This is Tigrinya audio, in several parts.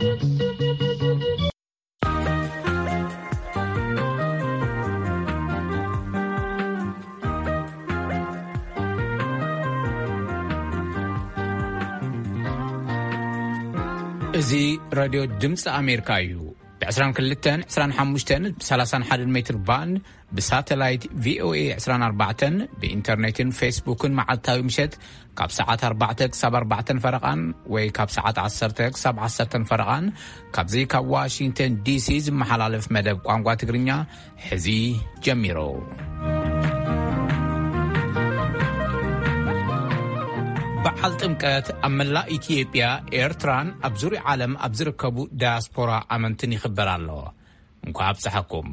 እዚ ሬድዮ ድምፂ ኣሜሪካ እዩ። ብ22፣ 25፣ ብ31 ሜትር ባንድ፣ ብሳተላይት ቪኦኤ 24፣ ብኢንተርኔትን ፌስቡክን መዓልታዊ ምሸት ካብ ሰዓት ኣርባዕተ ክሳብ ኣርባዕተን ፈረቓን ወይ ካብ ሰዓት ዓሰርተ ክሳብ ዓሰርተን ፈረቓን፣ ካብዚ ካብ ዋሽንግተን ዲሲ ዝመሓላለፍ መደብ ቋንቋ ትግርኛ ሕዚ ጀሚሩ። በዓል ጥምቀት ኣብ መላእ ኢትዮጵያ፣ ኤርትራን ኣብ ዙርያ ዓለም ኣብ ዝርከቡ ዳያስፖራ ኣመንትን ይኽበር ኣሎ። እንኳዕ ኣብፀሐኩም።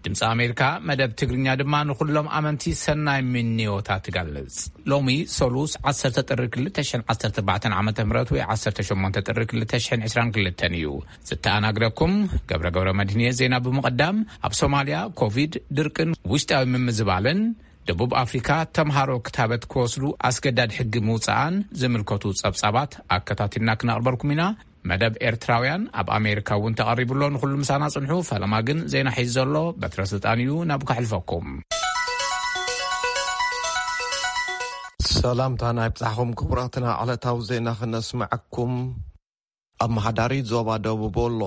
ድምፂ ኣሜሪካ መደብ ትግርኛ ድማ ንኹሎም ኣመንቲ ሰናይ ምንዮታ ትገልጽ። ሎሚ ሰሉስ ዓሰርተ ጥሪ ክልተ ሽሕን ዓሰርተ ኣርባዕተን ዓመተ ምህረት ወይ ዓሰርተ ሸሞንተ ጥሪ ክልተ ሽሕን ዕስራን ክልተን እዩ። ዝተኣናግደኩም ገብረ ገብረ መድህንየ። ዜና ብምቕዳም፣ ኣብ ሶማልያ ኮቪድ፣ ድርቅን ውሽጣዊ ምምዝባልን፣ ደቡብ ኣፍሪካ ተምሃሮ ክታበት ክወስዱ ኣስገዳድ ሕጊ ምውፅኣን ዝምልከቱ ጸብጻባት ኣከታቲልና ክነቕርበልኩም ኢና። መደብ ኤርትራውያን ኣብ ኣሜሪካ እውን ተቐሪቡ ኣሎ። ንኹሉ ምሳና ጽንሑ። ፈለማ ግን ዜና ሒዙ ዘሎ በትረ ስልጣን እዩ። ናብ ከሕልፈኩም። ሰላምታና ይብጻሕኹም ክቡራትና። ዕለታዊ ዜና ክነስምዐኩም። ኣመሓዳሪ ዞባ ደቡብ ወሎ፣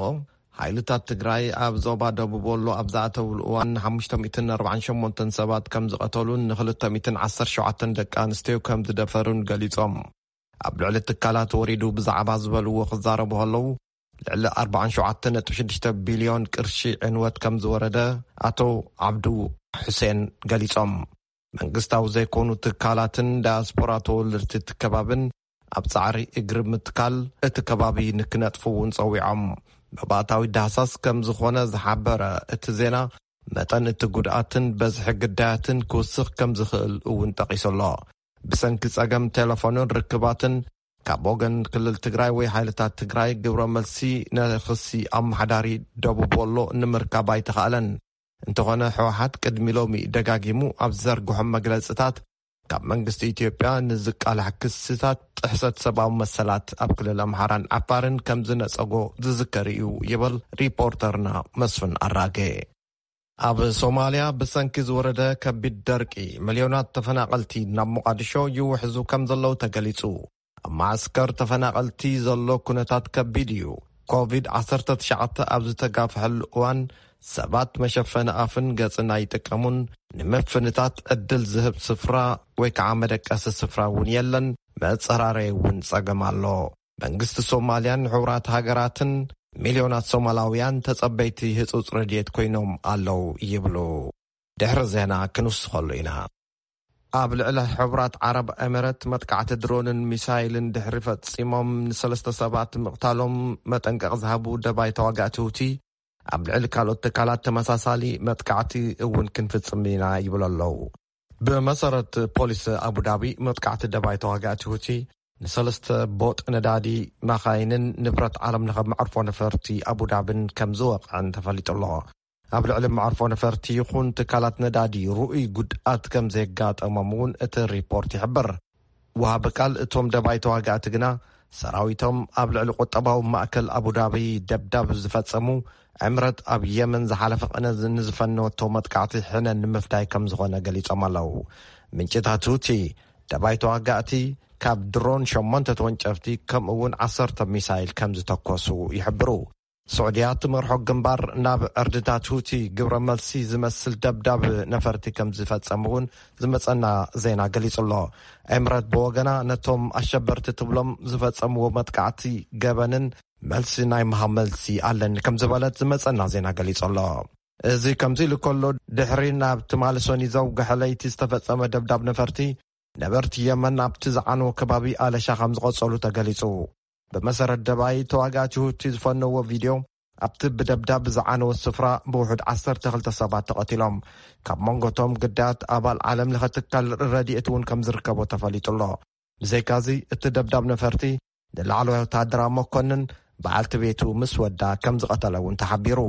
ሓይልታት ትግራይ ኣብ ዞባ ደቡብ ወሎ ኣብ ዝኣተውሉ እዋን ሓሙሽተ ሚእትን ኣርባዓን ሸሞንተን ሰባት ከም ዝቐተሉን ንክልተ ሚእትን ዓሰርተ ሸውዓተን ደቂ ኣንስትዮ ከም ዝደፈሩን ገሊጾም። ኣብ ልዕሊ ትካላት ወሪዱ ብዛዕባ ዝበልዎ ክዛረቡ ከለዉ፣ ልዕሊ ኣርባዓን ሸውዓተን ነጥቢ ሽዱሽተ ቢልዮን ቅርሺ ዕንወት ከም ዝወረደ ኣቶ ዓብዱ ሑሴን ገሊጾም። መንግስታዊ ዘይኮኑ ትካላትን ዳያስፖራ ተወለድቲ እቲ ከባብን ኣብ ጻዕሪ እግሪ ምትካል እቲ ከባቢ ንክነጥፉ እውን ጸዊዖም። መባእታዊ ዳህሳስ ከም ዝኾነ ዝሓበረ እቲ ዜና፣ መጠን እቲ ጉድኣትን በዝሒ ግዳያትን ክውስኽ ከም ዝኽእል እውን ጠቒሱ ኣሎ። ብሰንኪ ጸገም ቴሌፎንን ርክባትን ካብ ወገን ክልል ትግራይ ወይ ሓይልታት ትግራይ ግብረ መልሲ ንክሲ ኣመሓዳሪ ደቡብ ወሎ ንምርካብ ኣይተኻእለን። እንተኾነ፣ ህወሓት ቅድሚ ሎሚ ደጋጊሙ ኣብ ዝዘርግሖም መግለጽታት፣ ካብ መንግስቲ ኢትዮጵያ ንዝቃላሕ ክስታት ጥሕሰት ሰብኣዊ መሰላት ኣብ ክልል ኣምሓራን ዓፋርን ከም ዝነጸጎ ዝዝከር እዩ ይብል ሪፖርተርና መስፍን ኣራጌ። ኣብ ሶማልያ ብሰንኪ ዝወረደ ከቢድ ደርቂ፣ ሚልዮናት ተፈናቐልቲ ናብ ሞቓዲሾ ይውሕዙ ከም ዘለዉ ተገሊጹ። ኣብ መዓስከር ተፈናቐልቲ ዘሎ ኩነታት ከቢድ እዩ። ኮቪድ ዓሰርተ ትሽዓተ ኣብ ዝተጋፍሐሉ እዋን፣ ሰባት መሸፈኒ ኣፍን ገጽን ኣይጥቀሙን። ንምፍንታት ዕድል ዝህብ ስፍራ ወይ ከዓ መደቀሲ ስፍራ እውን የለን። መጸራረይ እውን ጸገም ኣሎ። መንግስቲ ሶማልያን ሕቡራት ሃገራትን ሚልዮናት ሶማላውያን ተጸበይቲ ህጹጽ ረድኤት ኮይኖም ኣለዉ ይብሉ። ድሕሪ ዜና ክንውስኸሉ ኢና። ኣብ ልዕሊ ሕቡራት ዓረብ ኤመረት መጥቃዕቲ ድሮንን ሚሳይልን ድሕሪ ፈጺሞም ንሰለስተ ሰባት ምቕታሎም መጠንቀቕ ዝሃቡ ደባይ ተዋጋእቲ ሁቲ፣ ኣብ ልዕሊ ካልኦት ትካላት ተመሳሳሊ መጥቃዕቲ እውን ክንፍጽም ኢና ይብሉ ኣለዉ። ብመሰረት ፖሊስ ኣቡዳቢ፣ መጥቃዕቲ ደባይ ተዋጋእቲ ሁቲ ንሰለስተ ቦጥ ነዳዲ፣ መኻይንን ንብረት ዓለም ለኸ መዕርፎ ነፈርቲ ኣቡዳብን ከም ዝወቕዐን ተፈሊጡ ኣሎ። ኣብ ልዕሊ መዕርፎ ነፈርቲ ይኹን ትካላት ነዳዲ ርኡይ ጉድኣት ከም ዘየጋጠሞም እውን እቲ ሪፖርት ይሕብር። ወሃቢ ቃል እቶም ደባይ ተዋጋእቲ ግና፣ ሰራዊቶም ኣብ ልዕሊ ቁጠባዊ ማእከል ኣቡዳቢ ደብዳብ ዝፈጸሙ፣ ዕምረት ኣብ የመን ዝሓለፈ ቅነ ንዝፈነወቶ መጥቃዕቲ ሕነ ንምፍዳይ ከም ዝኾነ ገሊጾም ኣለዉ። ምንጭታት ሁቲ፣ ደባይ ተዋጋእቲ ካብ ድሮን ሸሞንተ ተወንጨፍቲ ከምኡ እውን ዓሰርተ ሚሳይል ከም ዝተኮሱ ይሕብሩ። ስዑድያ ትመርሖ ግንባር ናብ ዕርድታት ሁቲ ግብረ መልሲ ዝመስል ደብዳብ ነፈርቲ ከም ዝፈጸሙ እውን ዝመጸና ዜና ገሊጹ ኣሎ። ኤምረት ብወገና፣ ነቶም ኣሸበርቲ ትብሎም ዝፈጸምዎ መጥቃዕቲ ገበንን መልሲ ናይ ምሃብ መልሲ ኣለኒ ከም ዝበለት ዝመጸና ዜና ገሊጹ ኣሎ። እዚ ከምዚ ኢሉ ከሎ፣ ድሕሪ ናብ ትማሊ ሰኒ ዘውግሐ ለይቲ ዝተፈጸመ ደብዳብ ነፈርቲ፣ ነበርቲ የመን ኣብቲ ዝዓነወ ከባቢ ኣለሻ ከም ዝቐጸሉ ተገሊጹ። ብመሰረት ደባይ ተዋጋእቲ ሁቲ ዝፈነዎ ቪድዮ፣ ኣብቲ ብደብዳብ ዝዓነወ ስፍራ ብውሑድ ዓሰርተ ክልተ ሰባት ተቐቲሎም። ካብ መንጎቶም ግዳያት ኣባል ዓለም ለኸ ትካል ረድኤት እውን ከም ዝርከቦ ተፈሊጡ ኣሎ። ብዘይካዚ፣ እቲ ደብዳብ ነፈርቲ ንላዕለዋይ ወተሃደራዊ መኮንን በዓልቲ ቤቱ ምስ ወዳ ከም ዝቐተለ እውን ተሓቢሩ።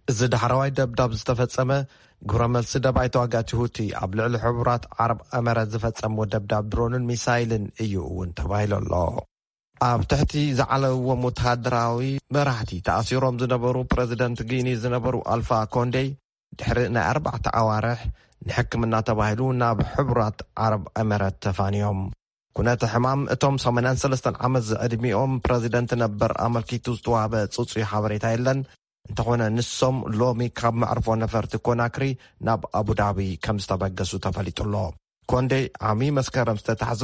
እዚ ዳሕረዋይ ደብዳብ ዝተፈጸመ፣ ግብረ መልሲ ደባይ ተዋጋእቲ ሁቲ ኣብ ልዕሊ ሕቡራት ዓረብ ኤመረት ዝፈጸምዎ ደብዳብ ድሮንን ሚሳይልን እዩ እውን ተባሂሉ ኣሎ። ኣብ ትሕቲ ዝዓለዎም ወተሃደራዊ መራሕቲ ተኣሲሮም ዝነበሩ ፕረዚደንት ጊኒ ዝነበሩ ኣልፋ ኮንዴ ድሕሪ ናይ ኣርባዕተ ኣዋርሕ ንሕክምና ተባሂሉ ናብ ሕቡራት ዓረብ ኤመረት ተፋንዮም። ኩነተ ሕማም እቶም ሰማንያን ሰለስተን ዓመት ዝዕድሚኦም ፕረዚደንት ነበር ኣመልኪቱ ዝተዋህበ ጽጹይ ሓበሬታ የለን። እንተኾነ ንሶም ሎሚ ካብ መዕርፎ ነፈርቲ ኮናክሪ ናብ ኣቡዳቢ ከም ዝተበገሱ ተፈሊጡ ኣሎ። ኮንዴ ዓሚ መስከረም ዝተታሕዙ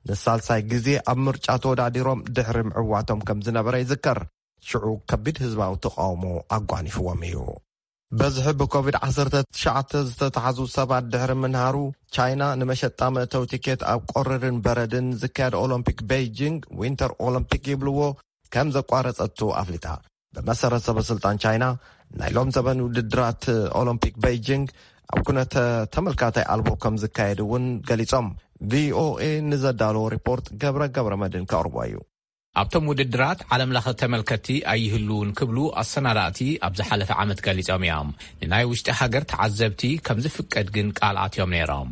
ንሳልሳይ ግዜ ኣብ ምርጫ ተወዳዲሮም ድሕሪ ምዕዋቶም ከም ዝነበረ ይዝከር። ሽዑ ከቢድ ህዝባዊ ተቃውሞ ኣጓኒፍዎም እዩ። በዝሒ ብኮቪድ ዓሰርተ ትሽዓተ ዝተታሕዙ ሰባት ድሕሪ ምንሃሩ፣ ቻይና ንመሸጣ መእተዊ ቲኬት ኣብ ቆርርን በረድን ዝካየድ ኦሎምፒክ ቤይጂንግ፣ ዊንተር ኦሎምፒክ ይብልዎ፣ ከም ዘቋረጸቱ ኣፍሊጣ። ብመሰረት ሰበ ስልጣን ቻይና፣ ናይ ሎም ዘበን ውድድራት ኦሎምፒክ ቤይጂንግ ኣብ ኩነተ ተመልካታይ ኣልቦ ከም ዝካየድ እውን ገሊጾም። ቪኦኤ ንዘዳለዎ ሪፖርት ገብረ ገብረ መድን ከቕርቦ እዩ። ኣብቶም ውድድራት ዓለም ለኸ ተመልከትቲ ኣይህልውን ክብሉ ኣሰናዳእቲ ኣብ ዝሓለፈ ዓመት ገሊጾም እዮም። ንናይ ውሽጢ ሃገር ተዓዘብቲ ከም ዝፍቀድ ግን ቃል ኣትዮም ነይሮም።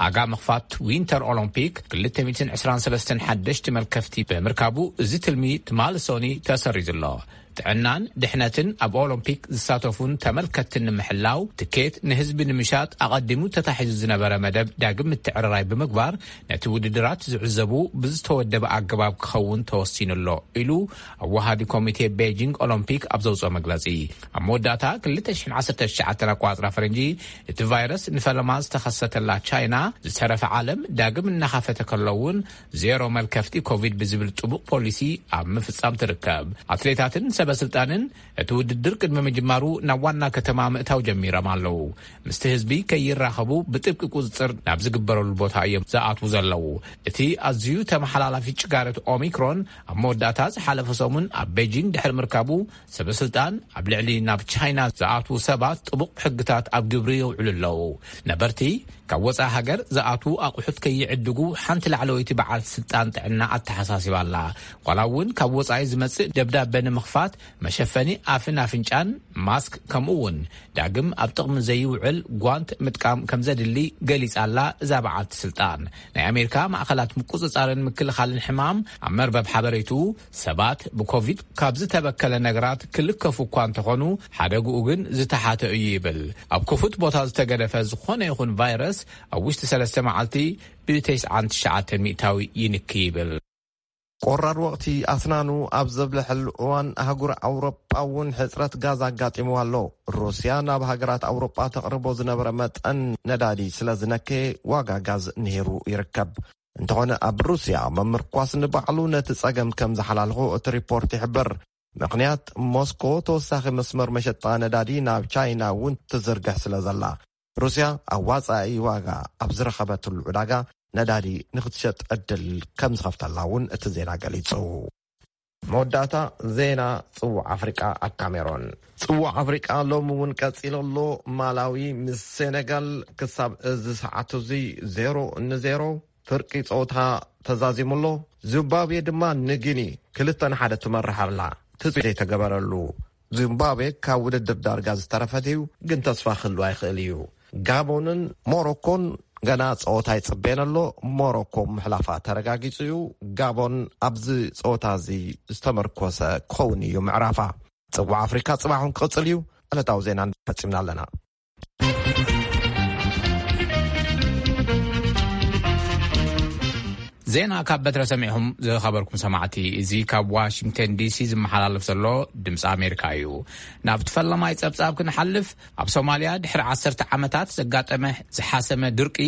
ኣጋ ምኽፋት ዊንተር ኦሎምፒክ ክልተ ሚእትን ዕስራን ሰለስተን ሓደሽቲ መልከፍቲ ብምርካቡ፣ እዚ ትልሚ ትማሊ ሶኒ ተሰሪዙ ኣሎ። ጥዕናን ድሕነትን ኣብ ኦሎምፒክ ዝሳተፉን ተመልከትትን ንምሕላው፣ ትኬት ንህዝቢ ንምሻጥ ኣቐዲሙ ተታሒዙ ዝነበረ መደብ ዳግም ምትዕርራይ ብምግባር፣ ነቲ ውድድራት ዝዕዘቡ ብዝተወደበ ኣገባብ ክኸውን ተወሲኑ ኣሎ ኢሉ ኣወሃዲ ኮሚቴ ቤጂንግ ኦሎምፒክ ኣብ ዘውፅኦ መግለፂ። ኣብ መወዳእታ ክልተ ሽሕን ዓሰርተ ትሽዓተን ኣቋፅራ ፈረንጂ፣ እቲ ቫይረስ ንፈለማ ዝተኸሰተላ ቻይና፣ ዝተረፈ ዓለም ዳግም እናኻፈተ ከሎ እውን፣ ዜሮ መልከፍቲ ኮቪድ ብዝብል ጥቡቕ ፖሊሲ ኣብ ምፍጻም ትርከብ። ኣትሌታትን ሰበ ስልጣንን እቲ ውድድር ቅድሚ ምጅማሩ ናብ ዋና ከተማ ምእታው ጀሚሮም ኣለዉ። ምስቲ ህዝቢ ከይራኸቡ ብጥብቂ ቁጽጽር ናብ ዝግበረሉ ቦታ እዮም ዝኣትዉ ዘለዉ። እቲ ኣዝዩ ተመሓላላፊ ጭጋረት ኦሚክሮን ኣብ መወዳእታ ዝሓለፈ ሰሙን ኣብ ቤጂንግ ድሕሪ ምርካቡ፣ ሰበ ስልጣን ኣብ ልዕሊ ናብ ቻይና ዝኣትዉ ሰባት ጥቡቕ ሕግታት ኣብ ግብሪ የውዕሉ ኣለዉ። ነበርቲ ካብ ወጻኢ ሃገር ዝኣትዉ ኣቑሑት ከይዕድጉ ሓንቲ ላዕለወይቲ በዓልቲ ስልጣን ጥዕና ኣተሓሳሲባ ኣላ። ዋላ እውን ካብ ወጻኢ ዝመጽእ ደብዳበ ንምኽፋት መሸፈኒ ኣፍን ኣፍንጫን፣ ማስክ፣ ከምኡ እውን ዳግም ኣብ ጥቕሚ ዘይውዕል ጓንት ምጥቃም ከም ዘድሊ ገሊጻ ኣላ እዛ በዓልቲ ስልጣን። ናይ ኣሜሪካ ማእኸላት ምቁጽጻርን ምክልኻልን ሕማም ኣብ መርበብ ሓበሬቱ፣ ሰባት ብኮቪድ ካብ ዝተበከለ ነገራት ክልከፉ እኳ እንተኾኑ፣ ሓደግኡ ግን ዝተሓተ እዩ ይብል። ኣብ ክፉት ቦታ ዝተገደፈ ዝኾነ ይኹን ቫይረስ ኣብ ውሽጢ ሰለስተ መዓልቲ ብተስዓን ትሽዓተን ሚእታዊ ይንኪ ይብል። ቆራር ወቕቲ ኣስናኑ ኣብ ዘብለሐሉ እዋን፣ ኣህጉር ኣውሮጳ እውን ሕጽረት ጋዝ ኣጋጢምዋ ኣሎ። ሩስያ ናብ ሃገራት ኣውሮጳ ተቕርቦ ዝነበረ መጠን ነዳዲ ስለ ዝነከየ፣ ዋጋ ጋዝ ንሂሩ ይርከብ። እንተኾነ፣ ኣብ ሩስያ ምምርኳስ ንባዕሉ ነቲ ጸገም ከም ዝሓላልኾ እቲ ሪፖርት ይሕብር። ምኽንያት፣ ሞስኮ ተወሳኺ መስመር መሸጣ ነዳዲ ናብ ቻይና እውን ትዝርግሕ ስለ ዘላ። ሩስያ ኣብ ዋጻኢ ዋጋ ኣብ ዝረኸበትሉ ዕዳጋ ነዳዲ ንኽትሸጥ ዕድል ከም ዝኸፍተላ እውን እቲ ዜና ገሊጹ። መወዳእታ ዜና ጽዋዕ ኣፍሪቃ ኣብ ካሜሮን። ጽዋዕ ኣፍሪቃ ሎሚ እውን ቀጺሉ ኣሎ። ማላዊ ምስ ሴኔጋል ክሳብ እዚ ሰዓት እዚ ዜሮ ንዜሮ ፍርቂ ጸወታ ተዛዚሙ ኣሎ። ዚምባብዌ ድማ ንጊኒ ክልተ ንሓደ ትመርሕ ኣላ። ትጽቢት ዘይተገበረሉ። ዚምባብዌ ካብ ውድድር ዳርጋ ዝተረፈት እዩ፣ ግን ተስፋ ክህልዋ ይኽእል እዩ። ጋቦንን ሞሮኮን ገና ጸወታ ይጽበየን ኣሎ። ሞሮኮ ምሕላፋ ተረጋጊጹ እዩ። ጋቦን ኣብዚ ጸወታ እዚ ዝተመርኮሰ ክኸውን እዩ ምዕራፋ። ጽዋዕ ኣፍሪካ ጽባሕ እውን ክቕጽል እዩ። ዕለታዊ ዜና ፈጺምና ኣለና። ዜና ካብ በትረ ሰሚዕኹም ዝኸበርኩም ሰማዕቲ፣ እዚ ካብ ዋሽንግተን ዲሲ ዝመሓላለፍ ዘሎ ድምፂ ኣሜሪካ እዩ። ናብቲ ፈለማይ ጸብጻብ ክንሓልፍ፣ ኣብ ሶማልያ ድሕሪ ዓሰርተ ዓመታት ዘጋጠመ ዝሓሰመ ድርቂ፣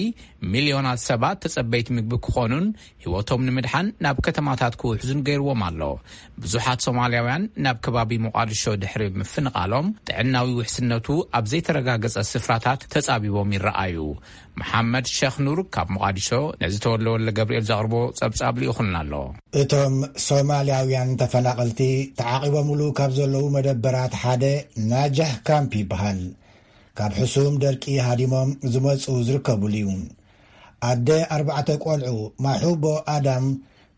ሚልዮናት ሰባት ተጸበይቲ ምግቢ ክኾኑን ህይወቶም ንምድሓን ናብ ከተማታት ክውሕዙን ገይርዎም ኣሎ። ብዙሓት ሶማልያውያን ናብ ከባቢ ሞቓድሾ ድሕሪ ምፍንቓሎም፣ ጥዕናዊ ውሕስነቱ ኣብ ዘይተረጋገጸ ስፍራታት ተጻቢቦም ይረኣዩ። መሓመድ ሸኽ ኑር ካብ ሞቓዲሾ ነዚ ተወልደ ወልደ ገብርኤል ዘቕርቦ ጸብጻብ ልኢኹልና ኣሎ። እቶም ሶማልያውያን ተፈናቐልቲ ተዓቒቦምሉ ካብ ዘለዉ መደበራት ሓደ ናጃህ ካምፕ ይበሃል። ካብ ሕሱም ደርቂ ሃዲሞም ዝመጹ ዝርከብሉ እዩ። ኣደ ኣርባዕተ ቆልዑ ማሑቦ ኣዳም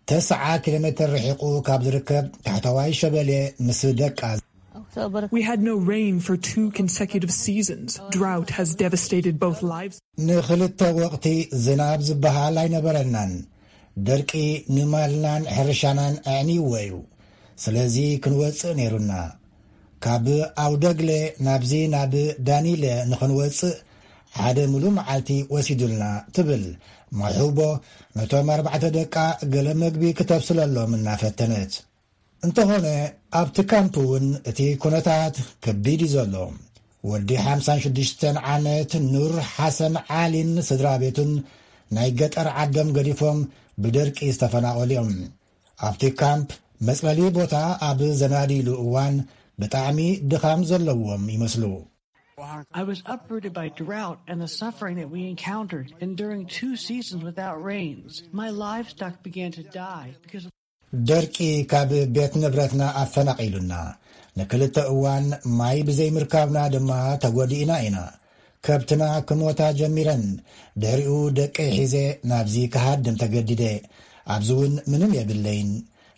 ተስዓ ኪሎ ሜተር ርሒቑ ካብ ዝርከብ ታሕተዋይ ሸበሌ ምስ ደቃ We had no rain for two consecutive seasons. Drought has devastated both lives. ንኽልተ ወቕቲ ዝናብ ዝበሃል ኣይነበረናን። ደርቂ ንማልናን ሕርሻናን ኣዕንይዎ እዩ። ስለዚ ክንወጽእ ነይሩና። ካብ ኣውደግለ ናብዚ ናብ ዳኒለ ንኽንወጽእ ሓደ ምሉእ መዓልቲ ወሲዱልና፣ ትብል ማሑቦ፣ ነቶም ኣርባዕተ ደቃ ገለ መግቢ ክተብስለሎም እናፈተነት። እንተኾነ፣ ኣብቲ ካምፕ እውን እቲ ኩነታት ከቢድ እዩ ዘሎ። ወዲ ሓምሳን ሽዱሽተን ዓመት ኑር ሓሰን ዓሊን ስድራ ቤቱን ናይ ገጠር ዓዶም ገዲፎም ብደርቂ ዝተፈናቐሉ እዮም። ኣብቲ ካምፕ መጽለሊ ቦታ ኣብ ዘናድይሉ እዋን ብጣዕሚ ድኻም ዘለዎም ይመስሉ። I was uprooted by drought and the suffering that we encountered, enduring two seasons without rains. My livestock began to die because of ደርቂ ካብ ቤት ንብረትና ኣፈናቒሉና፣ ንክልተ እዋን ማይ ብዘይምርካብና ድማ ተጎዲእና ኢና። ከብትና ክሞታ ጀሚረን። ድሕሪኡ ደቀይ ሒዘ ናብዚ ክሃድም ተገዲደ። ኣብዚ እውን ምንም የብለይን።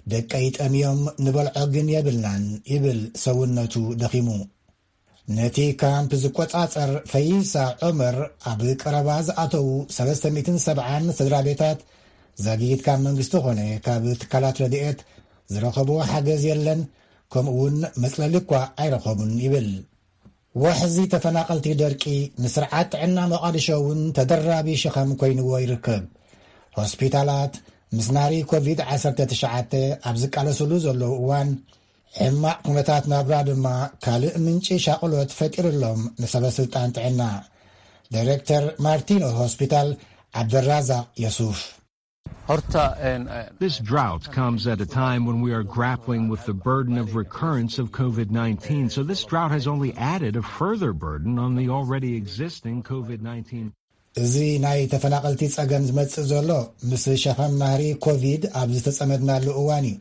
ደቀይ ጠምዮም፣ ንበልዖ ግን የብልናን፣ ይብል ሰውነቱ ደኺሙ። ነቲ ካምፕ ዝቆጻጸር ፈይሳ ዑመር፣ ኣብ ቀረባ ዝኣተዉ ሰለስተ ሚእትን ሰብዓን ስድራ ቤታት ዛጊት ካብ መንግስቲ ኾነ ካብ ትካላት ረድኤት ዝረኸብዎ ሓገዝ የለን፣ ከምኡውን መጽለሊ እኳ ኣይረኸቡን ይብል። ወሕዚ ተፈናቐልቲ ደርቂ ንስርዓት ጥዕና መቓድሾ እውን ተደራቢ ሸኸም ኮይንዎ ይርከብ። ሆስፒታላት ምስ ናሪ ኮቪድ ዓሰርተ ትሽዓተ ኣብ ዝቃለስሉ ዘለዉ እዋን፣ ሕማቕ ኩነታት ናብራ ድማ ካልእ ምንጪ ሻቕሎት ፈጢሩሎም ንሰበ ስልጣን ጥዕና። ዳይሬክተር ማርቲኖ ሆስፒታል ዓብደራዛቕ የሱፍ። This drought comes at a time when we are grappling with the burden of recurrence of COVID nineteen. So this drought has only added a further burden on the already existing COVID nineteen. እዚ ናይ ተፈናቐልቲ ጸገም ዝመጽእ ዘሎ ምስ ሸኸም ናህሪ ኮቪድ ኣብ ዝተጸመድናሉ እዋን እዩ።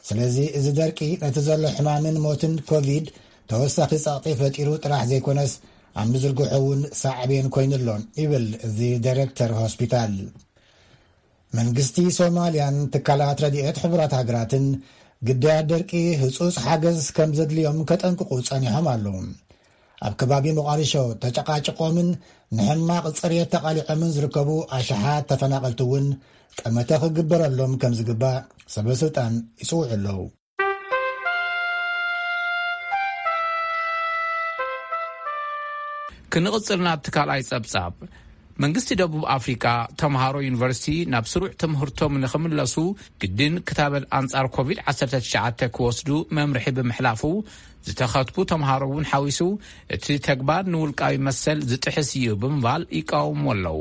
ስለዚ እዚ ደርቂ ነቲ ዘሎ ሕማምን ሞትን ኮቪድ ተወሳኺ ጸቕጢ ፈጢሩ ጥራሕ ዘይኮነስ፣ ኣብ ምዝርግሖ እውን ሳዕቤን ኮይኑሎ፣ ይብል እዚ ዳይሬክተር ሆስፒታል። መንግስቲ ሶማልያን ትካላት ረድኤት ሕቡራት ሃገራትን ግዳያት ደርቂ ህጹጽ ሓገዝ ከም ዘድልዮም ከጠንቅቑ ጸኒሖም ኣለዉ። ኣብ ከባቢ ሞቓዲሾ ተጨቃጭቆምን ንሕማቕ ጽሬት ተቓሊዖምን ዝርከቡ ኣሽሓት ተፈናቐልቲ እውን ጠመተ ክግበረሎም ከም ዝግባእ ሰበ ስልጣን ይጽውዑ ኣለዉ። ክንቕጽል ናብቲ ካልኣይ ጸብጻብ። መንግስቲ ደቡብ ኣፍሪቃ ተምሃሮ ዩኒቨርሲቲ ናብ ስሩዕ ትምህርቶም ንኽምለሱ ግድን ክታበት ኣንጻር ኮቪድ ዓሰርተ ትሽዓተ ክወስዱ መምርሒ ብምሕላፉ፣ ዝተኸትቡ ተምሃሮ እውን ሓዊሱ እቲ ተግባር ንውልቃዊ መሰል ዝጥሕስ እዩ ብምባል ይቃወሙ ኣለዉ።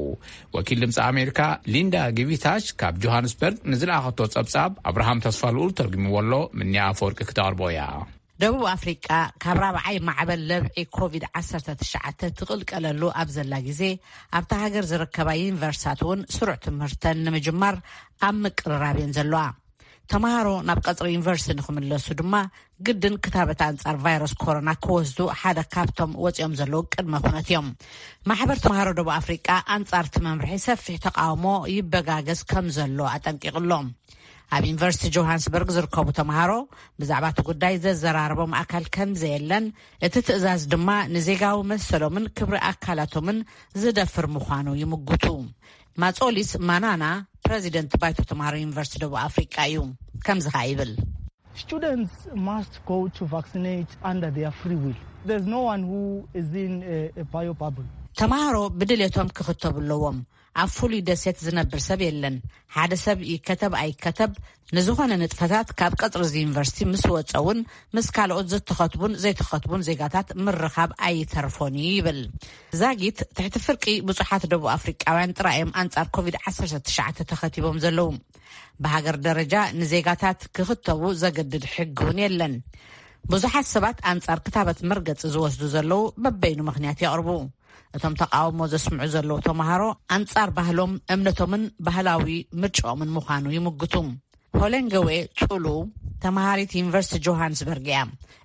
ወኪል ድምፂ ኣሜሪካ ሊንዳ ጊቪታሽ ካብ ጆሃንስበርግ ንዝለኣኸቶ ጸብጻብ ኣብርሃም ተስፋልኡል ተርጉምዎ ኣሎ። ምንያ ኣፈወርቂ ክተቕርቦ እያ። ደቡብ ኣፍሪቃ ካብ ራብዓይ ማዕበል ለብዒ ኮቪድ ዓሰርተ ትሽዓተ ትቕልቀለሉ ኣብ ዘላ ግዜ፣ ኣብታ ሃገር ዝርከባ ዩኒቨርሲታት እውን ስሩዕ ትምህርተን ንምጅማር ኣብ ምቅርራብ እየን ዘለዋ። ተምሃሮ ናብ ቀጽሪ ዩኒቨርሲቲ ንኽምለሱ ድማ ግድን ክታበት ኣንጻር ቫይረስ ኮሮና ክወስዱ ሓደ ካብቶም ወጺኦም ዘለዉ ቅድመ ኩነት እዮም። ማሕበር ተምሃሮ ደቡብ ኣፍሪቃ ኣንጻር እቲ መምርሒ ሰፊሕ ተቃውሞ ይበጋገስ ከም ዘሎ ኣጠንቂቑ ኣሎ። ኣብ ዩኒቨርሲቲ ጆሃንስበርግ ዝርከቡ ተምሃሮ ብዛዕባ እቲ ጉዳይ ዘዘራረቦም ኣካል ከም ዘየለን፣ እቲ ትእዛዝ ድማ ንዜጋዊ መሰሎምን ክብሪ ኣካላቶምን ዝደፍር ምዃኑ ይምጉቱ። ማጾሊስ ማናና ፕረዚደንት ባይቶ ተምሃሮ ዩኒቨርሲቲ ደቡብ ኣፍሪቃ እዩ። ከምዚ ኸኣ ይብል። Students must go to vaccinate under their free will. There's no one who is in a, a bio bubble. ተምሃሮ ብድሌቶም ክኽተቡ ኣለዎም። ኣብ ፍሉይ ደሴት ዝነብር ሰብ የለን። ሓደ ሰብ ይከተብ ኣይከተብ፣ ንዝኾነ ንጥፈታት ካብ ቀጽሪ እዚ ዩኒቨርሲቲ ምስ ወጸ እውን ምስ ካልኦት ዝተኸትቡን ዘይተኸትቡን ዜጋታት ምርኻብ ኣይተርፎን እዩ ይብል። ዛጊት ትሕቲ ፍርቂ ብዙሓት ደቡብ ኣፍሪቃውያን ጥራይ እዮም ኣንጻር ኮቪድ ዓሰርተ ትሽዓተ ተኸቲቦም ዘለዉ። ብሃገር ደረጃ ንዜጋታት ክኽተቡ ዘገድድ ሕጊ እውን የለን። ብዙሓት ሰባት ኣንጻር ክታበት መርገጺ ዝወስዱ ዘለዉ በበይኑ ምኽንያት የቕርቡ። እቶም ተቃውሞ ዘስምዑ ዘለዉ ተምሃሮ ኣንጻር ባህሎም፣ እምነቶምን ባህላዊ ምርጫኦምን ምዃኑ ይምግቱ። ሆለንገዌ ጹሉ ተምሃሪት ዩኒቨርሲቲ ጆሃንስበርግ እያ።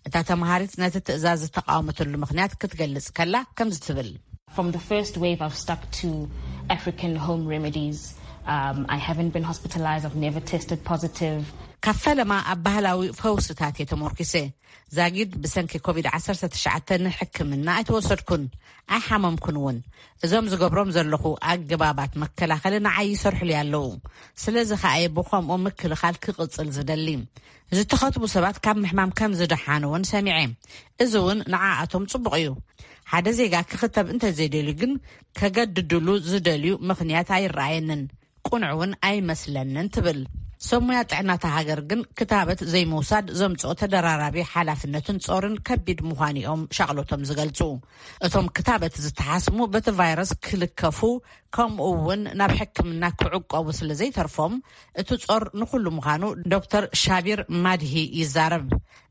እታ ተምሃሪት ነቲ ትእዛዝ ዝተቃወመትሉ ምኽንያት ክትገልጽ ከላ ከምዚ ትብል። From the first wave, I've stuck to African home remedies. Um, I haven't been hospitalized. I've never tested positive. ካብ ፈለማ ኣብ ባህላዊ ፈውስታት እየ ተሞርኪሰ። ዛጊድ ብሰንኪ ኮቪድ ዓሰርተ ትሽዓተ ንሕክምና ኣይተወሰድኩን፣ ኣይሓመምኩን እውን። እዞም ዝገብሮም ዘለኹ ኣገባባት መከላኸሊ ንዓይ ይሰርሑሉ ኣለዉ። ስለዚ ከኣ እየ ብኸምኡ ምክልኻል ክቕጽል ዝደሊ። ዝተኸትቡ ሰባት ካብ ምሕማም ከም ዝደሓኑ እውን ሰሚዐ። እዚ እውን ንዓኣቶም ጽቡቕ እዩ። ሓደ ዜጋ ክኽተብ እንተዘይደልዩ ግን ከገድድሉ ዝደልዩ ምኽንያት ኣይረኣየንን። ቅኑዕ እውን ኣይመስለንን ትብል። ሰብ ሞያ ጥዕና እታ ሃገር ግን ክታበት ዘይምውሳድ ዘምጽኦ ተደራራቢ ሓላፍነትን ጾርን ከቢድ ምዃኑ እዮም ሻቕሎቶም ዝገልጹ። እቶም ክታበት ዝተሓስሙ በቲ ቫይረስ ክልከፉ ከምኡ እውን ናብ ሕክምና ክዕቀቡ ስለ ዘይተርፎም እቲ ጾር ንኹሉ ምዃኑ ዶክተር ሻቢር ማድሂ ይዛረብ።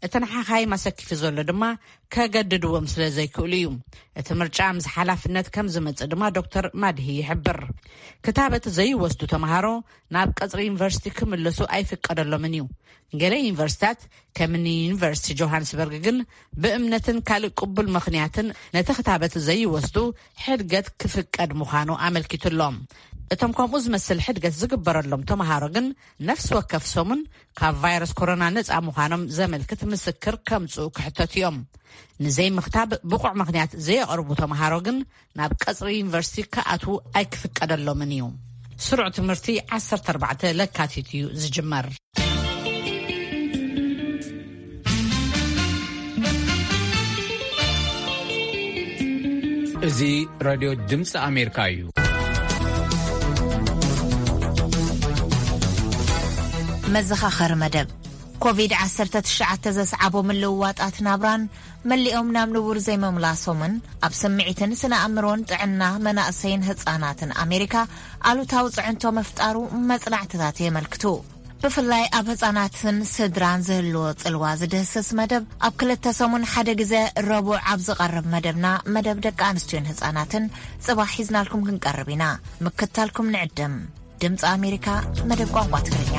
እቲ ንሓኻይም ኣሰኪፉ ዘሎ ድማ ከገድድዎም ስለ ዘይክእሉ እዩ። እቲ ምርጫ ምስ ሓላፍነት ከም ዝመጽእ ድማ ዶክተር ማድሂ ይሕብር። ክታበት ዘይወስዱ ተምሃሮ ናብ ቀጽሪ ዩኒቨርሲቲ ክምለሱ ኣይፍቀደሎምን እዩ። ገለ ዩኒቨርሲታት ከም ዩኒቨርሲቲ ጆሃንስበርግ ግን ብእምነትን ካልእ ቅቡል ምኽንያትን ነቲ ክታበት ዘይወስዱ ሕድገት ክፍቀድ ምዃኑ ኣመልኪቱሎም። እቶም ከምኡ ዝመስል ሕድገት ዝግበረሎም ተምሃሮ ግን ነፍሲ ወከፍ ሰሙን ካብ ቫይረስ ኮሮና ነጻ ምዃኖም ዘመልክት ምስክር ከምጽኡ ክሕተቱ እዮም። ንዘይምኽታብ ብቑዕ ምኽንያት ዘየቕርቡ ተምሃሮ ግን ናብ ቀጽሪ ዩኒቨርሲቲ ክኣትዉ ኣይክፍቀደሎምን እዩ። ስሩዕ ትምህርቲ ዓሰርተ ኣርባዕተ ለካቲት እዩ ዝጅመር። እዚ ሬድዮ ድምፂ ኣሜሪካ እዩ። መዘኻኸሪ መደብ። ኮቪድ ዓሰርተ ትሽዓተ ዘስዓቦ ምልውዋጣት ናብራን መሊኦም ናብ ንቡር ዘይምምላሶምን ኣብ ስምዒትን ስነ ኣእምሮን ጥዕና መናእሰይን ህጻናትን ኣሜሪካ ኣሉታዊ ጽዕንቶ ምፍጣሩ መጽናዕትታት የመልክቱ። ብፍላይ ኣብ ህጻናትን ስድራን ዝህልዎ ጽልዋ ዝድህስስ መደብ ኣብ ክልተ ሰሙን ሓደ ግዜ ረቡዕ ኣብ ዝቐርብ መደብና፣ መደብ ደቂ ኣንስትዮን ህጻናትን፣ ጽባሕ ሒዝናልኩም ክንቀርብ ኢና። ምክታልኩም ንዕድም። ድምፂ ኣሜሪካ፣ መደብ ቋንቋ ትግርኛ።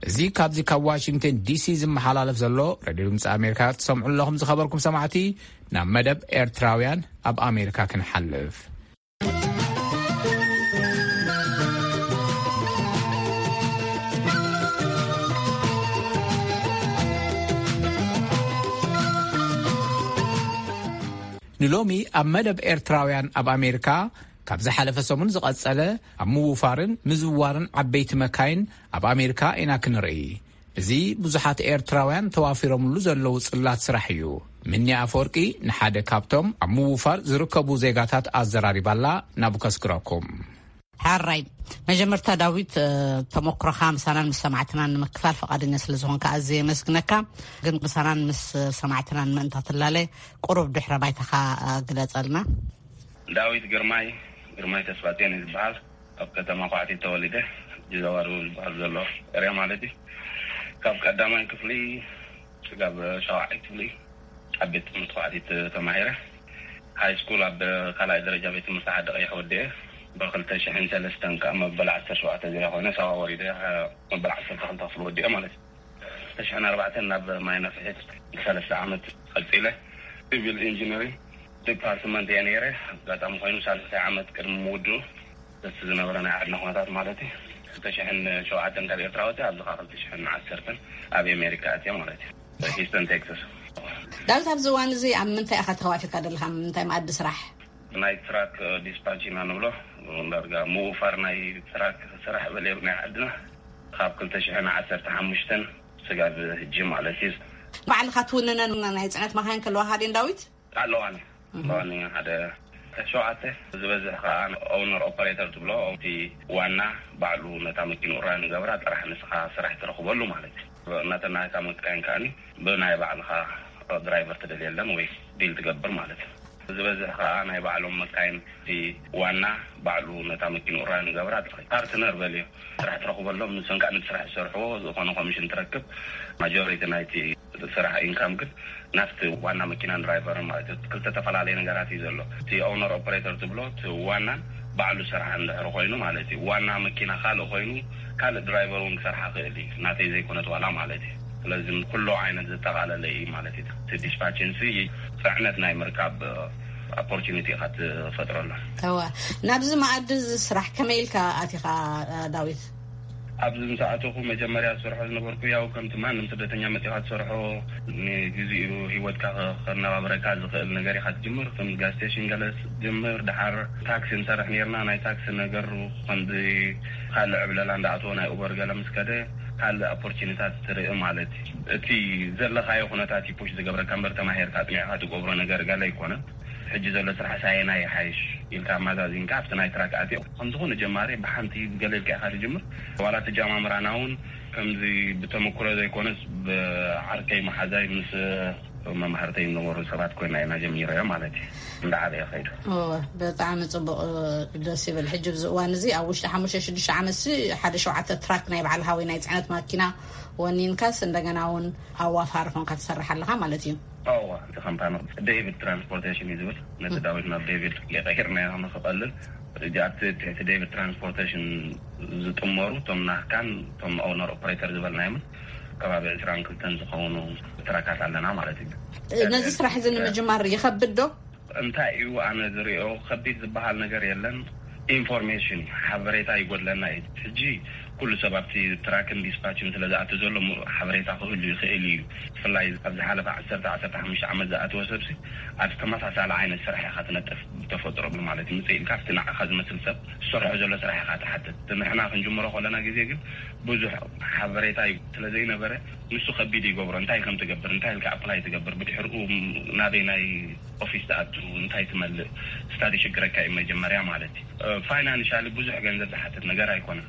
እዚ ካብዚ ካብ ዋሽንግተን ዲሲ ዝመሓላለፍ ዘሎ ሬድዮ ድምፂ ኣሜሪካ ትሰምዑ ኣለኹም። ዝኸበርኩም ሰማዕቲ፣ ናብ መደብ ኤርትራውያን ኣብ ኣሜሪካ ክንሓልፍ። ንሎሚ ኣብ መደብ ኤርትራውያን ኣብ ኣሜሪካ ካብ ዝሓለፈ ሰሙን ዝቐጸለ ኣብ ምውፋርን ምዝዋርን ዓበይቲ መካይን ኣብ ኣሜሪካ ኢና ክንርኢ። እዚ ብዙሓት ኤርትራውያን ተዋፊሮምሉ ዘለዉ ጽላት ስራሕ እዩ። ምኒ ኣፈወርቂ ንሓደ ካብቶም ኣብ ምውፋር ዝርከቡ ዜጋታት ኣዘራሪባላ። ናብ ከስክረኩም። ሓራይ፣ መጀመርታ ዳዊት፣ እ፣ ተመክሮኻ ምሳናን ምስ ሰማዕትናን ንምክፋል ፈቓደኛ ስለ ዝኾንካ ኣዝየ የመስግነካ። ግን ምሳናን ምስ ሰማዕትናን ምእንታ ትላለ ቁሩብ ድሕረ ባይታኻ፣ እ፣ ግለጸልና። ዳዊት ግርማይ፣ ግርማይ ተስፋጽዮን እዩ ዝበሃል። ኣብ ከተማ ኳዕቲ ተወሊደ፣ ጅዘዋሩ ዝበሃል ዘሎ ኤርያ ማለት እዩ። ካብ ቀዳማይ ክፍሊ ስጋብ ሻውዓይ ክፍሊ ኣብ ቤት ትምህርቲ ኳዕቲ ተ-፣ ተማሂረ። ሃይ ስኩል ኣብ ካልኣይ ደረጃ ቤት ትምህርቲ ዓዲ ቀይሕ ወዲኤ፣ ብክልተ ሽሕን ሰለስተን ከዓ መበል ዓሰርተ ሸውዓተ ዙርያ ኮይነ ሳዋ ወሪደ፣ መበል ዓሰርተ ክልተ ክፍሊ ወዲኤ ማለት እዩ። ክልተ ሽሕን ኣርባዕተን ናብ ማይ ነፍሒት ሰለስተ ዓመት ቀጺለ። ሲቪል ኢንጂነሪንግ ዲፓርትመንት እየ ነይረ። ኣጋጣሚ ኮይኑ ሳልሳይ ዓመት ቅድሚ ምውድኡ፣ እቲ ዝነበረ ናይ ዓድና ኩነታት ማለት እዩ፣ ክልተ ሽሕን ሸውዓተን ካብ ኤርትራ ወፂኣ፣ ኣብዚ ከዓ ክልተ ሽሕን ዓሰርተን ኣብ ኣሜሪካ ኣትየ ማለት እዩ፣ ሂስተን ቴክሳስ። ዳዊት፣ ኣብዚ እዋን እዚ ኣብ ምንታይ ኢኻ ተዋፊርካ ዘለኻ? ኣብ ምንታይ መኣዲ ስራሕ? ናይ ትራክ ዲስፓች ኢና ንብሎ፣ ዳርጋ ምውፋር ናይ ትራክ ስራሕ በለ ናይ ዓድና፣ ካብ ክልተ ሽሕን ዓሰርተ ሓሙሽተን ስጋብ ሕጂ ማለት እዩ። ባዕልኻ ትውንነን ናይ ጽዕነት መኻይን ከለዋኻ ድየን ዳዊት? ኣለዋኒ። ኣለዋኒ ሓደ ሸውዓተ፣ ዝበዝሕ ከዓ ኦውነር ኦፐሬተር ትብሎ፣ እቲ ዋና ባዕሉ ነታ መኪንኡ ራን ገብራ፣ ጥራሕ ንስኻ ስራሕ ትረኽበሉ ማለት እዩ። እናተናሃካ መካይን ከዓኒ ብናይ ባዕልኻ ድራይቨር ትደልየለን ወይ ዲል ትገብር ማለት እዩ። ዝበዝሕ ከዓ ናይ ባዕሎም መካይን፣ እቲ ዋና ባዕሉ ነታ መኪንኡ ራን ገብራ፣ ጥራሕ ፓርትነር በልዮ፣ ስራሕ ትረኽበሎም፣ ንሶም ከዓ ነቲ ስራሕ ዝሰርሕዎ ዝኾነ ኮሚሽን ትረክብ። ማጆሪቲ ናይቲ ስራሕ ኢንካም ግን ናብቲ ዋና መኪናን ድራይቨርን ማለት እዩ። ክልተ ተፈላለየ ነገራት እዩ ዘሎ። እቲ ኦውነር ኦፐሬተር ትብሎ፣ እቲ ዋናን ባዕሉ ስራሕ እንድሕር ኮይኑ ማለት እዩ። ዋና መኪና ካልእ ኮይኑ፣ ካልእ ድራይቨር እውን ክሰርሓ ክእል እዩ፣ ናተይ ዘይኮነት ዋላ ማለት እዩ። ስለዚ ኩሉ ዓይነት ዘጠቓለለ እዩ ማለት እዩ። እቲ ዲስፓችን ሲ ጽዕነት ናይ ምርካብ ኦፖርቹኒቲ ኢኻ ትፈጥረሉ። እወ፣ ናብዚ መኣዲ እዚ ስራሕ ከመይ ኢልካ ኣቲኻ፣ ዳዊት? ኣብዚ ምስ ኣተኹ መጀመርያ ዝሰርሖ ዝነበርኩ፣ ያው ከምቲ ማንም ስደተኛ መጺኻ ትሰርሖ፣ ንግዚኡ ህይወትካ ከ-፣ ከነባብረካ ዝኽእል ነገር ኢኻ ትጅምር። ከም ጋዝ ስቴሽን ገለ ትጅምር፣ ደሓር ታክሲ ንሰርሕ ነርና። ናይ ታክሲ ነገር ከምዚ ካልእ ዕብለላ እንዳኣተወ፣ ናይ ኡበር ገለ ምስ ከደ፣ ካልእ ኦፖርቹኒታት ትርኢ ማለት እዩ። እቲ ዘለኻዮ ኩነታት እዩ ፑሽ ዝገብረካ እምበር፣ ተማሂርካ ኣጥኒዕካ ትገብሮ ነገር ገለ ኣይኮነን። ሕጂ ዘሎ ስራሕ ሳየናይ ይሓይሽ ኢልካ ኣመዛዚንካ ኣብቲ ናይ ትራክ ኣትዮ። ከም ዝኾነ ጀማሪ ብሓንቲ ገለ ኢልካ ኢኻ ትጅምር። ዋላ ተጀማምራና እውን ከምዚ ብተመኩሮ ዘይኮነስ ብዓርከይ መሓዛይ ምስ መማህርተይ ዝነበሩ ሰባት ኮይና ኢና ጀሚረዮ ማለት እዩ። እንዳዓበየ ከይዱ። እወ፣ ብጣዕሚ ጽቡቕ፣ ደስ ይብል። ሕጂ ኣብዚ እዋን እዚ ኣብ ውሽጢ ሓሙሽተ ሽዱሽተ ዓመት ሲ ሓደ ሸውዓተ ትራክ ናይ በዓል ሃዊ ናይ ጽዕነት ማኪና ወኒንካስ እንደገና እውን ኣዋፋሪ ኮንካ ትሰርሕ ኣለኻ ማለት እዩ። እዋ፣ እቲ ካምፓኒ ዴቪድ ትራንስፖርቴሽን እዩ ዝብል። ነቲ ም። ዳዊት ናብ ዴቪድ የቐይርናዮ ንኽቐልል። ሕጂ ኣብቲ ትሕቲ ዴቪድ ትራንስፖርቴሽን ዝጥመሩ እቶም ናህካን እቶም ኦውነር ኦፕሬተር ዝበልናዮምን ከባቢ ዕስራን ክልተን ዝኸውን ትራካት ኣለና ማለት እዩ። ነዚ ስራሕ እዚ ንምጅማር ይኸብድ ዶ? እንታይ እዩ ኣነ ዝሪኦ ከቢድ ዝበሃል ነገር የለን። ኢንፎርሜሽን እዩ፣ ሓበሬታ ይጎድለና እዩ። ሕጂ ኩሉ ሰብ ኣብቲ ትራክን ዲስፓችን ስለ ዝኣቱ ዘሎ ሙ-፣ ሓበሬታ ክህሉ ይኽእል እዩ። ብፍላይ ኣብ ዝሓለፈ ዓሰርተ፣ ዓሰርተ ሓሙሽተ ዓመት ዝኣተወ ሰብሲ ኣብ ተመሳሳሊ ዓይነት ስራሕ ኢኻ ትነጥፍ ብተፈጥሮ ማለት እዩ። ምጽእ ኢልካ ኣብቲ ንዓኻ ዝመስል ሰብ ዝሰርሖ ዘሎ ስራሕ ኢኻ ትሓትት። ንሕና ክንጅምሮ ከለና ግዜ ግን ብዙሕ ሓበሬታ እዩ ስለ ዘይነበረ ንሱ ከቢድ ይገብሮ። እንታይ ከም ትገብር፣ እንታይ ኢልካ ኣፕላይ ትገብር፣ ብድሕሪኡ ናበይ ናይ ኦፊስ ትኣቱ፣ እንታይ ትመልእ፣ ስታዲ ሽግረካ እዩ መጀመርያ ማለት እዩ። ፋይናንሻሊ ብዙሕ ገንዘብ ዝሓትት ነገር ኣይኮነን።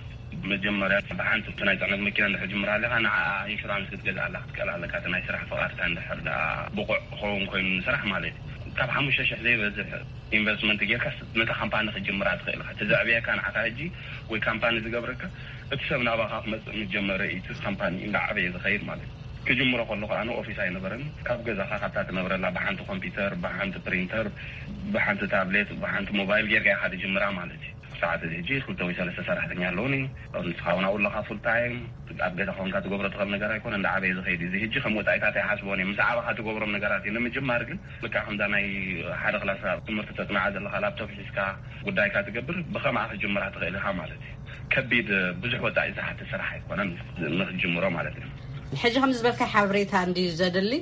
መጀመርያ ብሓንቲ ናይ ጽዕነት መኪና እንድሕር ጅምራ ኣለኻ፣ ንዓ ኢንሹራንስ ክትገዝእ ኣለካ፣ ክትቀል ኣለካ፣ እቲ ናይ ስራሕ ፍቓድካ እንድሕር ደኣ ብቑዕ ክኸውን ኮይኑ ንስራሕ ማለት እዩ። ካብ ሓሙሽተ ሽሕ ዘይበዝሕ ኢንቨስትመንት ጌርካ ነታ ካምፓኒ ክትጅምራ ትኽእል ኢኻ። እቲ ዘዕብየካ ንዓኻ ሕጂ ወይ ካምፓኒ ዝገብረካ እቲ ሰብ ናባኻ ክመጽእ ምስ ጀመረ እዩ እቲ ካምፓኒ እንዳዓበየ ዝኸይድ ማለት እዩ። ክጅምሮ ከለኹ ኣነ ኦፊስ ኣይነበረን። ካብ ገዛኻ ካብታ ትነብረላ ብሓንቲ ኮምፒውተር፣ ብሓንቲ ፕሪንተር፣ ብሓንቲ ታብሌት፣ ብሓንቲ ሞባይል ጌርካ ኢኻ ትጅምራ ማለት እዩ። ሰዓት እዚ ሕጂ ክልተ ወይ ሰለስተ ሰራሕተኛ ኣለውኒ። ንስኻ እውን ኣብኡ ኣለኻ ፉል ታይም። ኣብ ገዛ ኮንካ ትገብሮ ትኽእል ነገር ኣይኮነ፣ እንዳዓበየ ዝኸይድ እዩ። እዚ ሕጂ ከም ወጻኢታት ኣይሓስቦን እየ። ምስ ዓበኻ ትገብሮም ነገራት እዩ። ንምጅማር ግን ልክዕ ከምዛ ናይ ሓደ ክላስ ኣብ ትምህርቲ ተጽንዓ ዘለኻ ላፕቶፕ ሒዝካ ጉዳይካ ትገብር፣ ብኸምኣ ክትጅምራ ትኽእል ኢኻ ማለት እዩ። ከቢድ ብዙሕ ወጻኢ ዝሓትት ስራሕ ኣይኮነን ንኽትጅምሮ ማለት እዩ። ሕጂ ከም ዝበልካ ሓበሬታ እንድዩ ዘድሊ።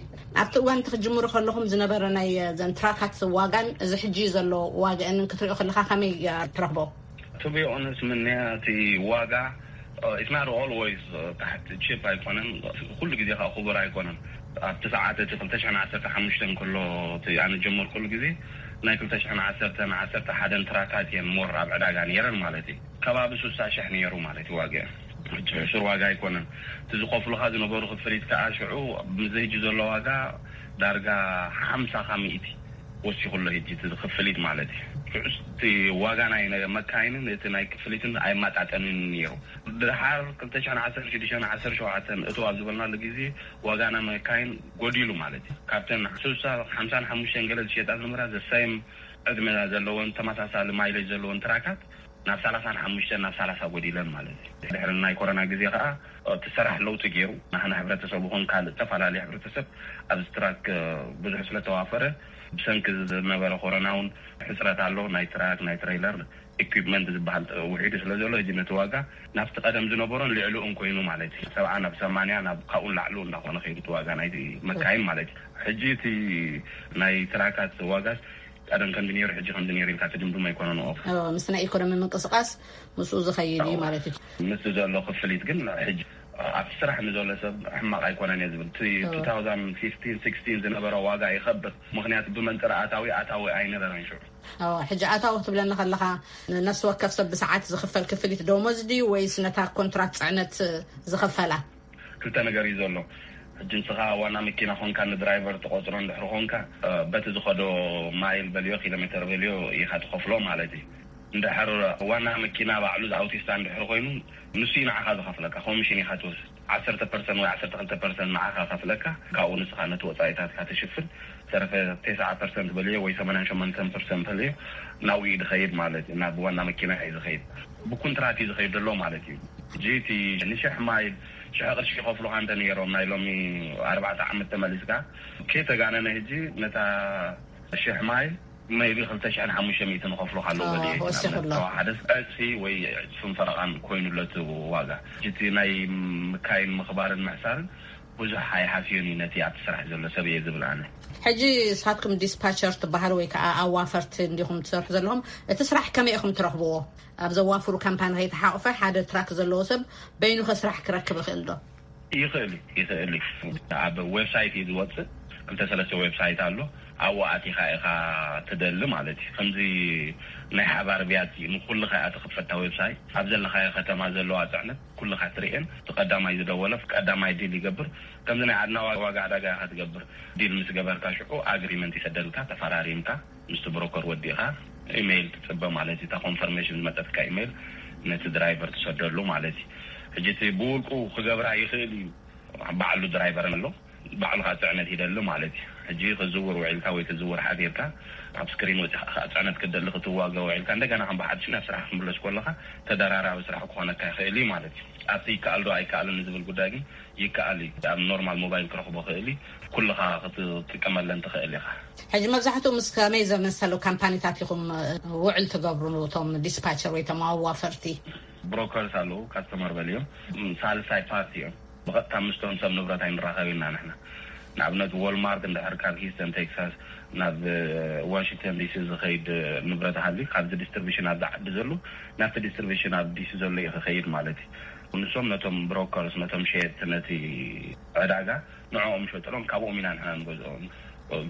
ኣብቲ እዋን እቲ ክትጅምሩ ከለኹም ዝነበረ ናይ ዘን ትራካት ዋጋን እዚ ሕጂ ዘሎ ዋጋን ክትሪኦ ከለኻ ከመይ ትረኽቦ? ቱ ቢ ኦነስት ምንያ እቲ ዋጋ it's not always ታሕቲ ቺፕ ኣይኮነን፣ ኩሉ ግዜ ከዓ ክቡር ኣይኮነን። ኣብቲ ሰዓት እቲ ክልተ ሽሕን ዓሰርተ ሓሙሽተን ከሎ እቲ ኣነ ጀመርኩሉ ግዜ ናይ ክልተ ሽሕን ዓሰርተን ዓሰርተ ሓደን ትራካት እየን ሞር ኣብ ዕዳጋ ነይረን ማለት እዩ። ከባቢ ሱሳ ሽሕ ነይሩ ማለት እዩ ዋጋ። ሕጂ ሕሱር ዋጋ ኣይኮነን። እቲ ዝኸፍሉኻ ዝነበሩ ክፍሊት ከዓ ሽዑ ምስዚ ሕጂ ዘሎ ዋጋ ዳርጋ ሓምሳ ካብ ሚእቲ ወሲኹ ኣሎ ሕጂ እቲ ክፍሊት ማለት እዩ። ሽዑ እቲ ዋጋ ናይ መካይንን እቲ ናይ ክፍሊትን ኣይመጣጠንን ነይሩ። ድሓር ክልተ ሽሕን ዓሰርተ ሽዱሽተን ዓሰርተ ሸውዓተን እቱ ኣብ ዝበልናሉ ግዜ ዋጋ ናይ መካይን ጎዲሉ ማለት እዩ። ካብተን ሱሳ ሓምሳን ሓሙሽተን ገለ ዝሸጣ ዝነበራ ዘሳይም ዕድመ ዘለወን ተመሳሳሊ ማይሌጅ ዘለወን ትራካት ናብ ሰላሳን ሓሙሽተን ናብ ሰላሳ ጎዲለን ማለት እዩ። ድሕሪ ናይ ኮሮና ግዜ ከዓ እቲ ስራሕ ለውጢ ገይሩ ናህና ሕብረተሰብ ይኹን ካልእ ዝተፈላለዩ ሕብረተሰብ ኣብዚ ትራክ ብዙሕ ስለተዋፈረ ብሰንኪ ዝነበረ ኮሮና እውን ሕፅረት ኣሎ። ናይ ትራክ ናይ ትሬይለር ኢኩፕመንት ዝበሃል ውሒዱ ስለ ዘሎ ሕጂ ነቲ ዋጋ ናብቲ ቀደም ዝነበሮን ልዕሊኡን ኮይኑ ማለት እዩ። ሰብዓ ናብ ሰማንያ ናብ ካብኡ ላዕሉ እንዳኾነ ከይዱ እቲ ዋጋ ናይ መካይን ማለት እዩ። ሕጂ እቲ ናይ ትራካት ዋጋስ ቀደም ከምዚ ነይሩ ሕጂ ከምዚ ነይሩ ኢልካ ትድምድሞ ኣይኮነን። ኦፍ እዎ፣ ምስ ናይ ኢኮኖሚ ምንቅስቃስ ምስኡ ዝኸይድ እዩ ማለት እዩ። ምስ ዘሎ ክፍሊት ግን ሕጂ ኣብቲ ስራሕ ንዘሎ ሰብ ሕማቕ ኣይኮነን እየ ዝብል። እቲ እዎ። ቱ ታውዛንድ ፊፍቲን ሲክስቲን ዝነበረ ዋጋ ይኸብር፣ ምኽንያቱ ብመንፅር ኣታዊ ኣታዊ ኣይነበረን ሽዑ። እዎ፣ ሕጂ ኣታዊ ክትብለኒ ከለኻ ነፍሲ ወከፍ ሰብ ብሰዓት ዝኽፈል ክፍሊት ደሞዝ ድዩ ወይስ ነታ ኮንትራት ፅዕነት ዝኽፈላ? ክልተ ነገር እዩ ዘሎ። ሕጂ ንስኻ ዋና መኪና ኾንካ ንድራይቨር ትቆፅሮ እንድሕር ኾንካ በቲ ዝኸዶ ማይል በልዮ ኪሎ ሜትር በልዮ ኢኻ ትኸፍሎ ማለት እዩ። እንድሕር ዋና መኪና ባዕሉ ኣውቲስታ እንድሕር ኮይኑ ንሱ እዩ ንዓኻ ዝኸፍለካ፣ ኮሚሽን ኢኻ ትወስድ። ዓሰርተ ፐርሰንት ወይ ዓሰርተ ክልተ ፐርሰንት ንዓኻ ከፍለካ፣ ካብኡ ንስኻ ነቲ ወፃኢታትካ ትሽፍን። ዝተረፈ ተስዓ ፐርሰንት በልዮ ወይ ሰማንያን ሸሞንተን ፐርሰንት በልዮ ናብኡ እዩ ዝኸይድ ማለት እዩ። ናብ ዋና መኪና እዩ ዝኸይድ። ብኩንትራት እዩ ዝኸይድ ዘሎ ማለት እዩ። ሕጂ እቲ ንሽሕ ማይል ሽሕ ቅርሺ ይኸፍሉኻ እንተ ነይሮም ናይ ሎሚ ኣርባዕተ ዓመት ተመሊስካ ከይተጋነነ ሕጂ ነታ ሽሕ ማይል maybe ክልተ ሽሕን ሓሙሽተ ሚእትን ንኸፍሎ ካለዎ ኦ፣ በሊ ወሲኹ ኣሎ። ተዋሓደ ዕፅፊ ወይ ዕፅፍን ፈረቓን ኮይኑለቱ ዋጋ። እቲ ናይ ምካይን ምኽባርን ምሕሳርን ብዙሕ ኣይሓስዮን እዩ ነቲ ኣብቲ ስራሕ ዘሎ ሰብ እየ ዝብል ኣነ። ሕጂ ንስኻትኩም ዲስፓቸር ትበሃል ወይ ከዓ ኣዋፈርቲ እንዲኹም ትሰርሑ ዘለኹም፣ እቲ ስራሕ ከመይ ኢኹም ትረኽብዎ? ኣብ ዘዋፍሩ ካምፓኒ ከይተሓቑፈ ሓደ ትራክ ዘለዎ ሰብ በይኑ ከ ስራሕ ክረክብ ይኽእል ዶ? ይኽእል እዩ፣ ይኽእል እዩ። ኣብ ዌብሳይት እዩ ዝወፅእ። ክልተ ሰለስተ ዌብሳይት ኣሎ። ኣብኡ ኣቲኻ ኢኻ ትደሊ ማለት እዩ። ከምዚ ናይ ሓባር ብያት እዩ። ንኩልኻ እያ ትኽፈታ ዌብሳይት። ኣብ ዘለኻዮ ከተማ ዘለዋ ፅዕነት ኩልኻ ትርእየን። እቲ ቀዳማይ ዝደወለ ቀዳማይ ዲል ይገብር። ከምዚ ናይ ዓድና ዋጋ ዕዳጋ ኢኻ ትገብር። ዲል ምስ ገበርካ ሽዑ ኣግሪመንት ይሰደልካ፣ ተፈራሪምካ ምስቲ ብሮከር ወዲእኻ ኢሜይል ትፅበ ማለት እዩ። እታ ኮንፈርሜሽን ዝመፀትካ ኢሜይል ነቲ ድራይቨር ትሰደሉ ማለት እዩ። ሕጂ እቲ ብውልቁ ክገብራ ይኽእል እዩ። ባዕሉ ድራይቨር ኣሎ፣ ባዕሉ ከዓ ፅዕነት ይደሊ ማለት እዩ። ሕጂ ክዝውር ውዒልካ ወይ ክዝውር ሓዲርካ ኣብ ስክሪን ወፂኻ ከዓ ፅዕነት ክትደሊ ክትዋገ ውዒልካ እንደገና ከም ብሓድሽ ናብ ስራሕ ክትምለስ ከለኻ ተደራራቢ ስራሕ ክኾነካ ይኽእል እዩ ማለት እዩ። ኣብቲ ይከኣል ዶ ኣይከኣልን ዝብል ጉዳይ ግን ይከኣል እዩ። ኣብ ኖርማል ሞባይል ክረኽቦ ክእል እዩ። ኩልኻ ክትጥቀመለን ትኽእል ኢኻ። ሕጂ መብዛሕትኡ ምስ ከመይ ዘመሰሉ ካምፓኒታት ኢኹም ውዕል ትገብሩ? እቶም ዲስፓቸር ወይ እቶም ኣዋፈርቲ ብሮከርስ ኣለዉ፣ ካስተመር በልዮም ሳልሳይ ፓርቲ እዮም። ብቐጥታ ምስቶም ሰብ ንብረት ኣይንራኸብ ኢና ንሕና። ንኣብነት ዎልማርት እንድሕር ካብ ሂስተን ቴክሳስ ናብ ዋሽንግተን ዲሲ ዝኸይድ ንብረት ሃልዩ ካብዚ ዲስትሪቢሽን ኣብዚ ዓዲ ዘሎ ናብቲ ዲስትሪቢሽን ኣብ ዲሲ ዘሎ እዩ ክኸይድ ማለት እዩ። ንሶም ነቶም ብሮከርስ ነቶም ሸየጥቲ ነቲ ዕዳጋ ንዕኦም ይሸጥሎም፣ ካብኦም ኢና ንሕና ንገዝኦም።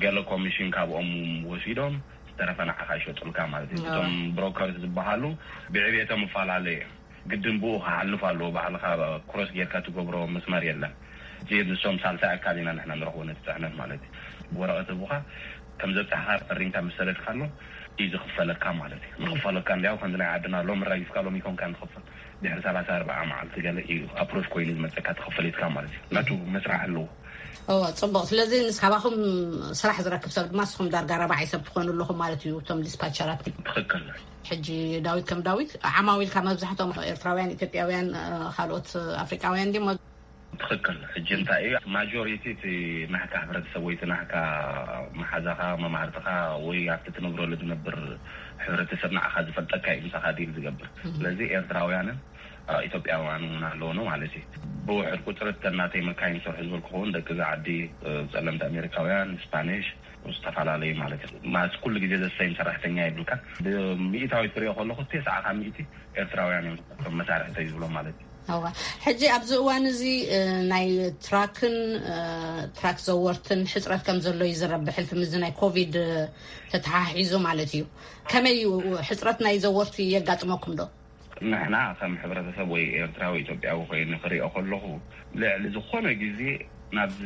ገለ ኮሚሽን ካብኦም ወሲዶም ዝተረፈ ንዓኻ ይሸጡልካ ማለት እዩ። እቶም ብሮከርስ ዝበሃሉ ብዕብየቶም ይፈላለዩ እዮም። ግድን ብኡ ክሓልፍ ኣለዎ። ባዕልኻ ክሮስ ጌርካ ትገብሮ መስመር የለን። እዚ ንሶም ሳልሳይ ኣካል ኢና ንሕና ንረኽቦ ነቲ ፅዕነት ማለት እዩ። ወረቐት ህቡኻ ከም ዘብፃሕኻ ፈሪምካ ምስ ሰደድካሎም እዩ ዝኽፈለካ ማለት እዩ። ንኽፈለካ እንዲያው ከምዚ ናይ ዓድና ሎም ራጊፍካ ሎም ይኮንካ ንኽፈል ድሕሪ ሰላሳ ኣርባዓ መዓልቲ ገለ እዩ ኣፕሮች ኮይኑ ዝመፀካ ተኸፈሊትካ ማለት እዩ። ናቱ መስራሕ ኣለዎ። እወ፣ ፅቡቕ። ስለዚ ንስካባኹም ስራሕ ዝረክብ ሰብ ድማ ንስኹም ዳርጋ ረባዓይ ሰብ ትኾኑ ኣለኹም ማለት እዩ፣ እቶም ዲስፓቸራት። ትኽክል። ሕጂ ዳዊት ከም ዳዊት ዓማዊልካ መብዛሕትኦም ኤርትራውያን፣ ኢትዮጵያውያን፣ ካልኦት ኣፍሪቃውያን ድሞ? ትኽክል። ሕጂ እንታይ እዩ ማጆሪቲ እቲ ናህካ ሕብረተሰብ ወይ እቲ ናህካ መሓዛኻ መማህርትኻ ወይ ኣብቲ ትነብረሉ ዝነብር ሕብረተሰብ ንዓኻ ዝፈልጠካ እዩ ምሳኻ ዲል ዝገብር። ስለዚ ኤርትራውያንን ኢትዮጵያውያን እውን ኣለውኖ ማለት እዩ። ብውሕድ ቁፅሪ ተናተይ መካይን ዝሰርሑ ዝበልኩ እውን ደቂ እዚ ዓዲ፣ ፀለምቲ ኣሜሪካውያን፣ ስፓኒሽ፣ ዝተፈላለዩ ማለት እዩ። ማለት ኩሉ ግዜ ዘሰይም ሰራሕተኛ ይብልካ። ብሚእታዊት ክሪኦ ከለኹ ተስዓ ካብ ሚእቲ ኤርትራውያን እዮም እቶም መሳርሕተይ ዝብሎም ማለት እዩ። እዋ፣ ሕጂ ኣብዚ እዋን እዚ ናይ ትራክን ትራክ ዘወርትን ሕፅረት ከም ዘሎ ይዝረብ። ብሕልፊ ምዚ ናይ ኮቪድ ተተሓሒዙ ማለት እዩ። ከመይ እዩ ሕፅረት ናይ ዘወርቲ የጋጥመኩም ዶ? ንሕና ከም ሕብረተሰብ ወይ ኤርትራዊ ኢትዮጵያዊ ኮይኑ ክሪኦ ከለኹ ልዕሊ ዝኾነ ግዜ ናብዚ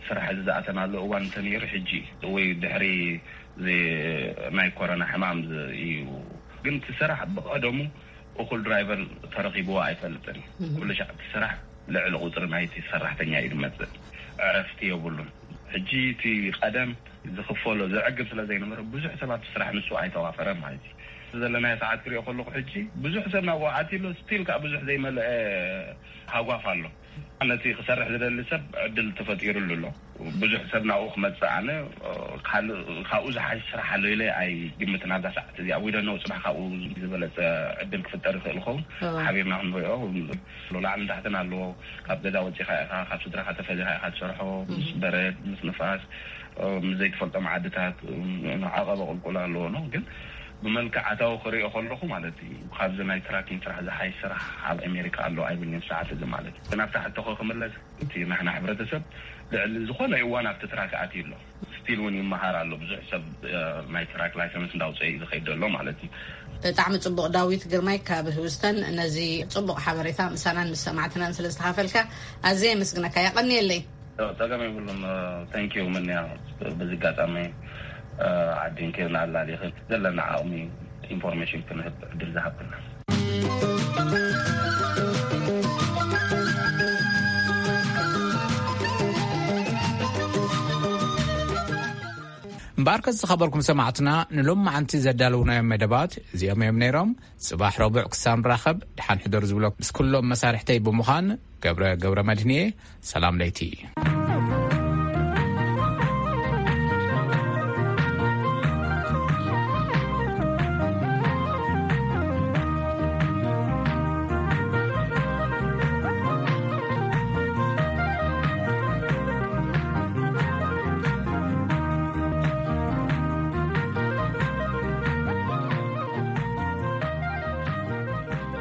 ስራሕ እዚ ዝኣተናሉ እዋን እንተነይሩ ሕጂ ወይ ድሕሪ ናይ ኮሮና ሕማም እዩ። ግን እቲ ስራሕ ብቐደሙ እኹል ድራይቨር ተረኺብዎ ኣይፈልጥን። ኩሉ ሻዕ እቲ ስራሕ ልዕሊ ቁፅሪ ናይቲ ሰራሕተኛ እዩ ዝመፅእ። ዕረፍቲ የብሉን። ሕጂ እቲ ቀደም ዝኽፈሎ ዘዕግብ ስለ ዘይነበረ ብዙሕ ሰባት ስራሕ ንሱ ኣይተዋፈረ ማለት እዩ። ዘለናዮ ሰዓት ክሪኦ ከለኹ ሕጂ ብዙሕ ሰብ ናብኡ ኣትዩ ኣሎ፣ ስቲል ከዓ ብዙሕ ዘይመልአ ሃጓፍ ኣሎ። ነቲ ክሰርሕ ዝደሊ ሰብ ዕድል ተፈጢሩሉ ኣሎ። ብዙሕ ሰብ ናብኡ ክመፅእ ኣነ ካልእ ካብኡ ዝሓሽ ስራሕ ኣሎ ኢለ ኣይግምትን። ኣብዛ ሰዓት እዚኣ ዊደነው ፅባሕ ካብኡ ዝበለፀ ዕድል ክፍጠር ይኽእል ይኸውን። ሓቢርና ክንሪኦ ላዕልን ታሕትን ኣለዎ። ካብ ገዛ ወፂኻ ኢኻ፣ ካብ ስድራኻ ተፈሊኻ ኢኻ ትሰርሖ። ምስ በረድ ምስ ንፋስ ምስ ዘይትፈልጦም ዓድታት ዓቐበ ቁልቁል ኣለዎ ነው። ግን ብመልክዕ ኣታዊ ክሪኦ ከለኹ ማለት እዩ ካብዚ ናይ ትራኪን ስራሕ ዝሓይ ስራሕ ኣብ ኣሜሪካ ኣሎ ኣይብልንም ሰዓት እዚ ማለት እዩ። ናብታ ሕቶኸ ክምለስ እቲ ናሕና ሕብረተሰብ ልዕሊ ዝኾነ እዋን ኣብቲ ትራክ ኣትዩ ኣሎ። ስቲል እውን ይመሃር ኣሎ። ብዙሕ ሰብ ናይ ትራክ ላይሰንስ እንዳውፀ እዩ ዝኸይድ ዘሎ ማለት እዩ። ብጣዕሚ ፅቡቕ። ዳዊት ግርማይ ካብ ህውስተን ነዚ ፅቡቕ ሓበሬታ ምሳናን ምስ ሰማዕትናን ስለ ዝተኻፈልካ ኣዝየ የመስግነካ። የቐንየለይ። ጸገም የብሉን። ተንኪዩ ምንያ። በዚ ኣጋጣሚ ዓዲን ኬርና ኣላሊኽን ዘለና ዓቕሚ ኢንፎርሜሽን ክንህብ ዕድል ዝሃብክና። እምበኣርከስ ዝኸበርኩም ሰማዕትና ንሎም መዓንቲ ዘዳለውናዮም መደባት እዚኦም እዮም ነይሮም። ጽባሕ ረቡዕ ክሳብ ንራኸብ ደሓን ሕደሩ ዝብሎ ምስ ኩሎም መሳርሕተይ ብምዃን ገብረ ገብረ መድህንየ ሰላም ለይቲ።